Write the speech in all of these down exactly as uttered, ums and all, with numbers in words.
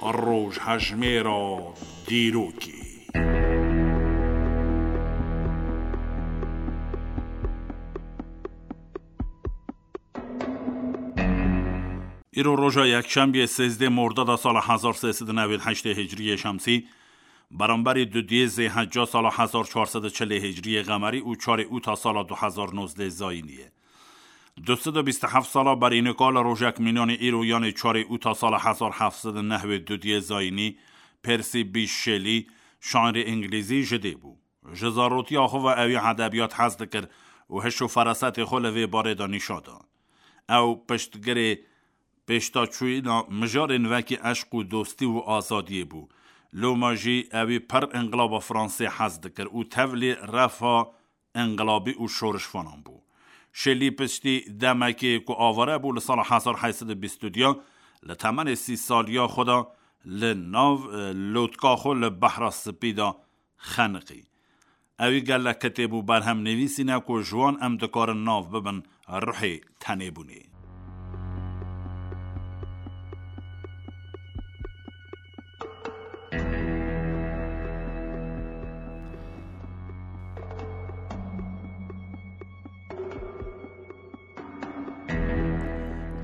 Rojhejmêra dîrokê. Îro roja yekşembiyê sêzdeh Mordada sala hezar sê sed û newêd heştê Hicriyê Şemsî, beramberî dudiyê Zêhecca sala hezar çar sed û çilê Hicriyê Qemerî û çarê Ûta sala du hezar nozdeh Zayînî ye. Du sed û bîst û heft sala berî nika li rojek mînanê îro, yanê çarê Ûta sala hezar heft sed û nehwêd dudiyê Zayînî, Percy Bysshe Shelley, şairê îngilîzî ji dê bû. Ji zarotiya xwe ve ewî edebiyat hez dikir û hiş û ferasetê xwe li vê barê de nîşa da. Ew piştgirê pêşdaçûyîna mijarên wekî eşq û dostî û azadiyê bû. Loma jî ewî pir înqilaba Fransê hez dikir û tevlî refa înqilabî û şorişvanan bû. Şelî piştî demekê ku avare bû, li sala hezar heyt sed û bîst û du, li temenê sî saliya xwe de li nav, e, lotka xwe li Behra Spî de xeniqî. Ewî gelek kitêb û berhem nivîsîne ku ji wan em dikarin nav bibin ruhê tenêbûnê.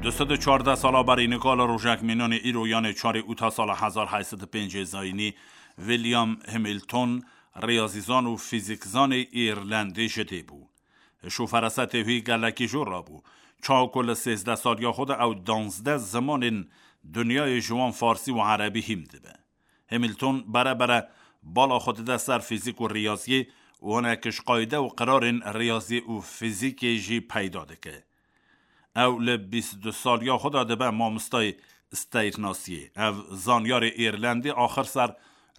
Du sed û çardeh sala berî nika li rojek mînanê îro, yanê çarê Ûta sala hezar heyt sed û pêncê Zayînî, William Hamilton, riyazîzan û fîzîkzanê Îrlendî ji dê bû. Hiş û ferasetê wî gelekî jor rabû. Çawa ku li sêzdeh saliya xwe de ew danzdeh zimanên dinyayê, ji wan farsî û erebî, hîm dibe. Hamilton bere bere bala xwe dide ser fîzîk û riyaziyê û hinek ji qayde û qirarên riyaziyê û fîzîkê jî peyda dike. Ew li bîst û du saliya xwe de dibe mamostayê steyrnasiyê. Ev zanyarê Îrlendî axir ser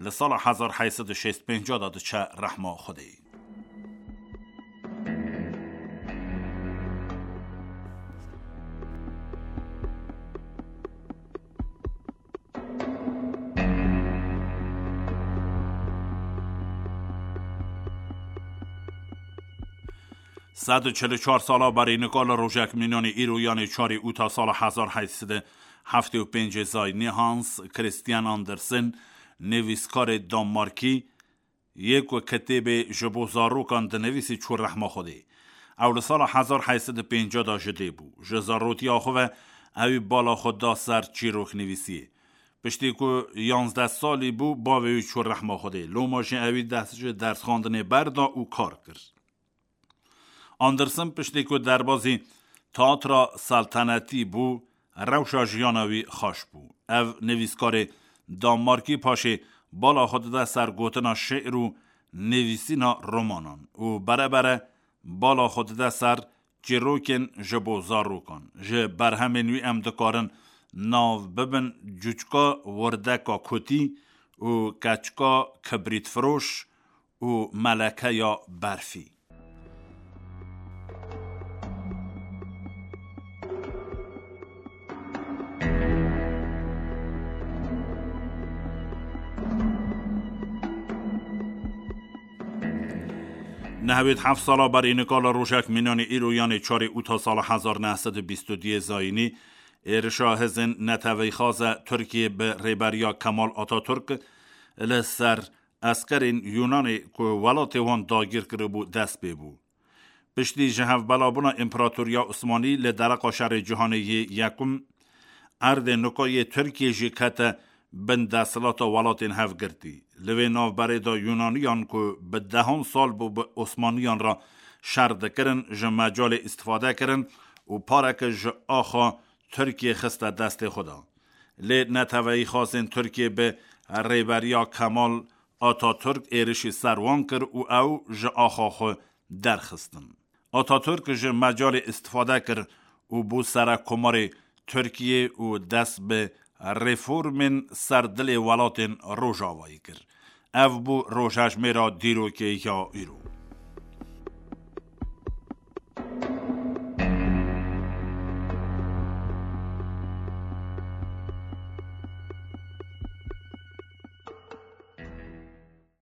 li sala hezar heyt sed û şêst pênc de diçe rehma Xwedê. Sed û çil û çar sala berî nika li rojek mînanê îro, yanê çarê Ûta sala hezar heyt sed û heftê û pêncê Zayînî, Hans Christian Andersen, nivîskarê Danmarkî, yê ku kitêbê ji bo zarokan dinivîsî, çû rehma Xwedê. Ew li sala hezar heyt sed û pêncî de ji dê bû. Ji zarotiya xwe ve ewî bala xwe da ser çîroknivîsiyê. Piştî ku yanzdeh salî bû, bavê wî çû rehma Xwedê. Loma jî ewî dest ji dersxwendinê berda û kar kir. Andersen piştî ku derbazî teatra seltenetî bû, rewşa jiyana wî xweş bû. Ev nivîskarê Danmarkî paşê bala xwe dide ser gotina şi'r û nivîsîna romanan û bere bere bala xwe dide ser çîrokên ji bo zarokan. Ji berhemên wî em dikarin nav bibin Cuçka Wirdeka Kotî û Keçika Kibrîtfiroş û Melekeya Berfî. Nehwêd heft sala berî nika li rojek mînanê îro, yanê çarê Ûta sala hezar neh sed û bîst û duyê Zayînî, êrişa hêzên neteweyxaze Tirkiyê bi rêberiya Kemal Ataturk li ser eskerên Yunanê ku welatê wan dagîr kiribû, dest pê bû. Piştî ji hevbelabûna Împaratoriya Osmanî li dereqa Şerê Cîhanê yê Yekum, erdê nika yê Tirkiyê jî kete bin desthilata welatên hevgirtî. Li vê navberê de Yunaniyan ku bi dehan sal bû bi Osmaniyan re şer dikirin, ji mecalê îstifade kirin û pareke ji axa Tirkiyê xiste destê xwe de. Lê neteweyîxazên Tirkiyê bi rêberiya Kemal Ataturk êrişî ser wan kir û ew ji axa xwe derxistin. Ataturk ji mecalê îstifade kir û bû serekkomarê Tirkiyê û dest bi reformên ser dilê welatên Rojavayê kir. Ev bû rojhejmêra dîrokê ya îro.